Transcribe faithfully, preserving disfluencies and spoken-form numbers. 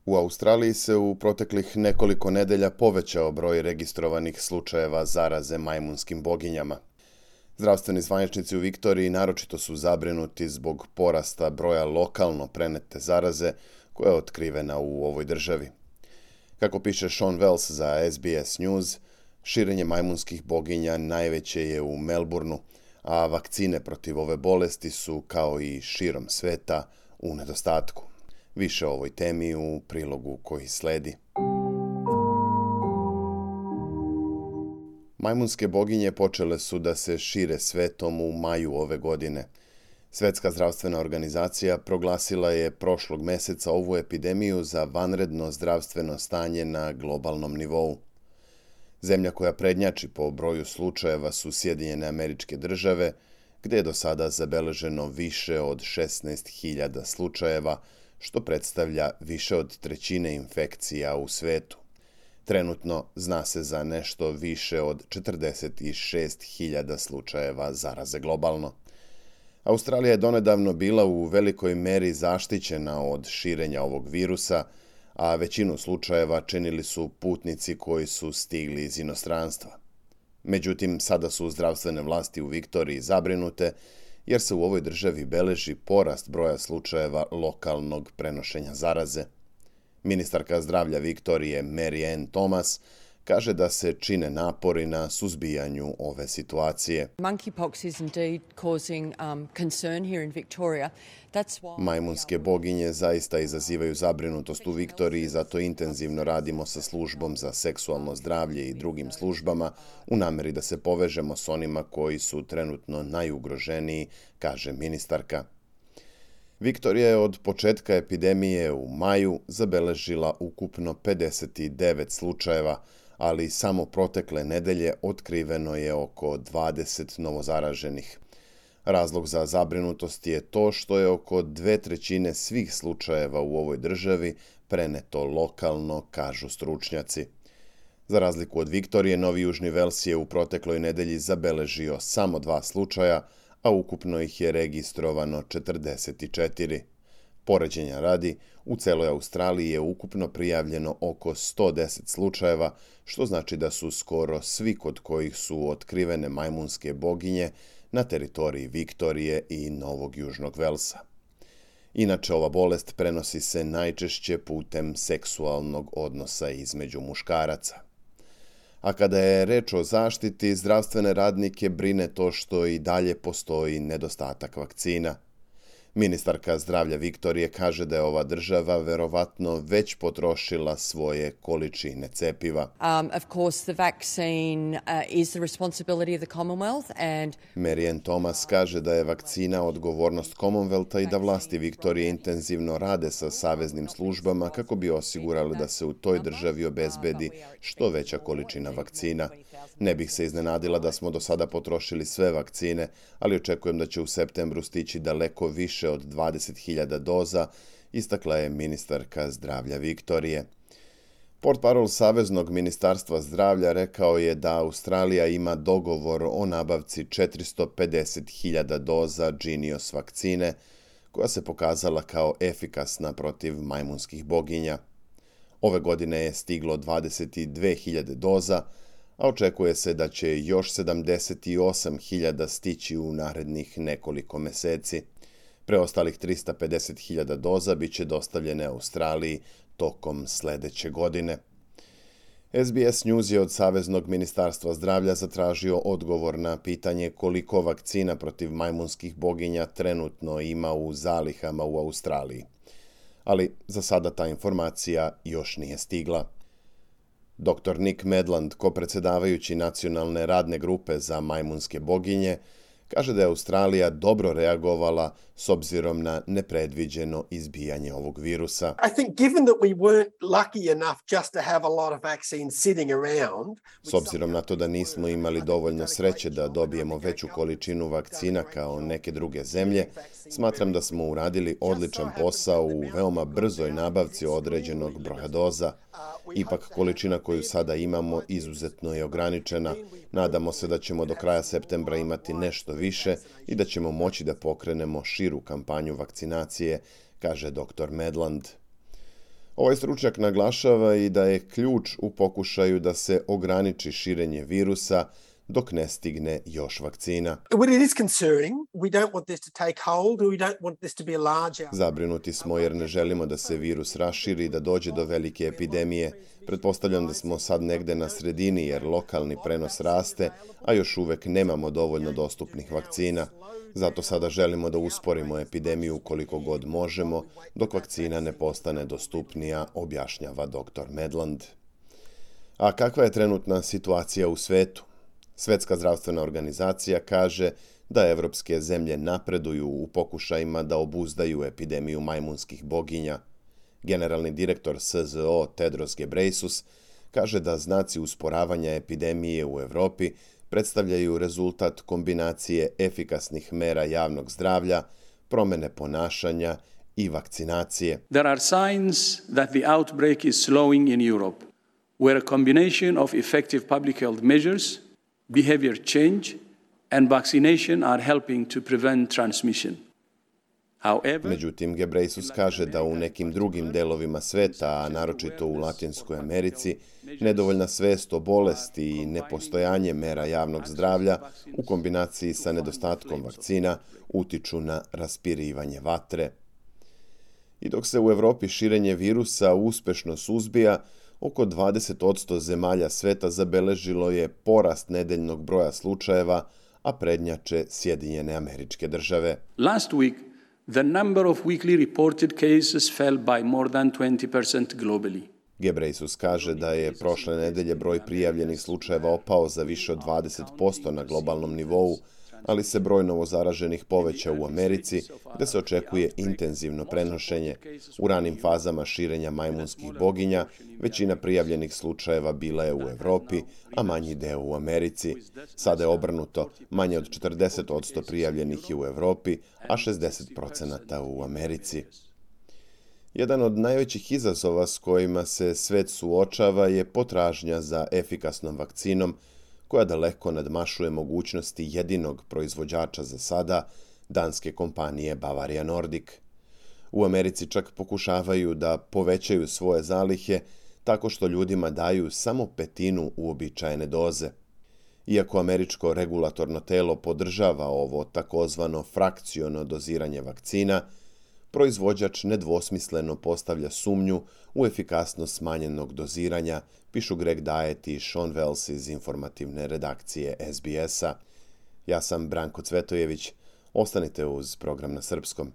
U Australiji se u proteklih nekoliko nedelja povećao broj registrovanih slučajeva zaraze majmunskim boginjama. Zdravstveni zvaničnici u Viktoriji naročito su zabrinuti zbog porasta broja lokalno prenete zaraze koja je otkrivena u ovoj državi. Kako piše Sean Wells za S B S News, širenje majmunskih boginja najveće je u Melbourneu, a vakcine protiv ove bolesti su, kao i širom sveta, u nedostatku. Više o ovoj temi u prilogu koji sledi. Majmunske boginje počele su da se šire svetom u maju ove godine. Svjetska zdravstvena organizacija proglasila je prošlog meseca ovu epidemiju za vanredno zdravstveno stanje na globalnom nivou. Zemlja koja prednjači po broju slučajeva su Sjedinjene Američke Države, gdje je do sada zabeleženo više od šesnaest hiljada slučajeva, što predstavlja više od trećine infekcija u svetu. Trenutno zna se za nešto više od četrdeset šest hiljada slučajeva zaraze globalno. Australija je donedavno bila u velikoj meri zaštićena od širenja ovog virusa, a većinu slučajeva činili su putnici koji su stigli iz inostranstva. Međutim, sada su zdravstvene vlasti u Viktoriji zabrinute jer se u ovoj državi beleži porast broja slučajeva lokalnog prenošenja zaraze. Ministarka zdravlja Viktorije Mary Ann Thomas kaže da se čine napori na suzbijanju ove situacije. Monkeypox is indeed causing um, concern here in Victoria. That's why Majmunske boginje zaista izazivaju zabrinutost u Viktoriji, zato intenzivno radimo sa službom za seksualno zdravlje i drugim službama u nameri da se povežemo s onima koji su trenutno najugroženiji, kaže ministarka. Viktorija je od početka epidemije u maju zabeležila ukupno pedeset devet slučajeva, ali samo protekle nedelje otkriveno je oko dvadeset novozaraženih. Razlog za zabrinutost je to što je oko dve trećine svih slučajeva u ovoj državi preneto lokalno, kažu stručnjaci. Za razliku od Viktorije, Novi Južni Vels je u protekloj nedelji zabeležio samo dva slučaja, a ukupno ih je registrovano četrdeset četiri. Poređenja radi, u celoj Australiji je ukupno prijavljeno oko sto deset slučajeva, što znači da su skoro svi kod kojih su otkrivene majmunske boginje na teritoriji Viktorije i Novog Južnog Velsa. Inače, ova bolest prenosi se najčešće putem seksualnog odnosa između muškaraca. A kada je reč o zaštiti, zdravstvene radnike brine to što i dalje postoji nedostatak vakcina. Ministarka zdravlja Viktorije kaže da je ova država verovatno već potrošila svoje količine cepiva. Um, of course, the vaccine uh, is the responsibility of the Commonwealth and Mary Ann Thomas kaže da je vakcina odgovornost Commonwealtha i da vlasti Viktorije intenzivno rade sa saveznim službama kako bi osigurali da se u toj državi obezbedi što veća količina vakcina. Ne bih se iznenadila da smo do sada potrošili sve vakcine, ali očekujem da će u septembru stići daleko više od dvadeset hiljada doza, istakla je ministarka zdravlja Viktorije. Portparol Saveznog ministarstva zdravlja rekao je da Australija ima dogovor o nabavci četiristo pedeset hiljada doza Jynneos vakcine, koja se pokazala kao efikasna protiv majmunskih boginja. Ove godine je stiglo dvadeset dve hiljade doza, a očekuje se da će još sedamdeset osam hiljada stići u narednih nekoliko meseci. Preostalih trista pedeset hiljada doza bit će dostavljene Australiji tokom sledeće godine. S B S News je od Saveznog ministarstva zdravlja zatražio odgovor na pitanje koliko vakcina protiv majmunskih boginja trenutno ima u zalihama u Australiji. Ali za sada ta informacija još nije stigla. doktor Nick Medland, kopredsedavajući nacionalne radne grupe za majmunske boginje, kaže da je Australija dobro reagovala s obzirom na nepredviđeno izbijanje ovog virusa. I think given that we weren't lucky enough just to have a lot of vaccines sitting around, S obzirom na to da nismo imali dovoljno sreće da dobijemo veću količinu vakcina kao neke druge zemlje, smatram da smo uradili odličan posao u veoma brzoj nabavci određenog broja doza. Ipak količina koju sada imamo izuzetno je ograničena. Nadamo se da ćemo do kraja septembra imati nešto više i da ćemo moći da pokrenemo širu kampanju vakcinacije, kaže doktor Medland. Ovaj stručnjak naglašava i da je ključ u pokušaju da se ograniči širenje virusa dok ne stigne još vakcina. Well, it is concerning. We don't want this to take hold. We don't want this to be a large... Zabrinuti smo jer ne želimo da se virus raširi i da dođe do velike epidemije. Pretpostavljam da smo sad negde na sredini jer lokalni prenos raste, a još uvek nemamo dovoljno dostupnih vakcina. Zato sada želimo da usporimo epidemiju koliko god možemo, dok vakcina ne postane dostupnija, objašnjava doktor Medland. A kakva je trenutna situacija u svetu? Svjetska zdravstvena organizacija kaže da evropske zemlje napreduju u pokušajima da obuzdaju epidemiju majmunskih boginja. Generalni direktor S Z O Tedros Ghebreyesus kaže da znaci usporavanja epidemije u Evropi predstavljaju rezultat kombinacije efikasnih mera javnog zdravlja, promene ponašanja i vakcinacije. There are signs that the outbreak is slowing in Europe, where a combination of effective public health measures, behavior change and vaccination are helping to prevent transmission. However, Međutim, Ghebreyesus kaže da u nekim drugim delovima sveta, a naročito u Latinskoj Americi, nedovoljna svest o bolesti i nepostojanje mera javnog zdravlja u kombinaciji sa nedostatkom vakcina utiču na raspirivanje vatre. I dok se u Evropi širenje virusa uspešno suzbija, oko dvadeset posto zemalja sveta zabeležilo je porast nedeljnog broja slučajeva, a prednjače Sjedinjene Američke Države. last week, the number of weekly reported cases fell by more than twenty percent globally. Ghebreyesus kaže da je prošle nedelje broj prijavljenih slučajeva opao za više od dvadeset posto na globalnom nivou, ali se broj novozaraženih povećao u Americi, gde se očekuje intenzivno prenošenje. U ranim fazama širenja majmunskih boginja, većina prijavljenih slučajeva bila je u Evropi, a manji deo u Americi. Sada je obrnuto, manje od četrdeset posto prijavljenih je u Evropi, a šezdeset posto u Americi. Jedan od najvećih izazova s kojima se svet suočava je potražnja za efikasnom vakcinom, koja daleko nadmašuje mogućnosti jedinog proizvođača za sada, danske kompanije Bavaria Nordic. U Americi čak pokušavaju da povećaju svoje zalihe tako što ljudima daju samo petinu uobičajene doze. Iako američko regulatorno telo podržava ovo takozvano frakciono doziranje vakcina, proizvođač nedvosmisleno postavlja sumnju u efikasnost smanjenog doziranja, pišu Greg Diet i Sean Wells iz informativne redakcije S B S-a. Ja sam Branko Cvetojević. Ostanite uz program na srpskom.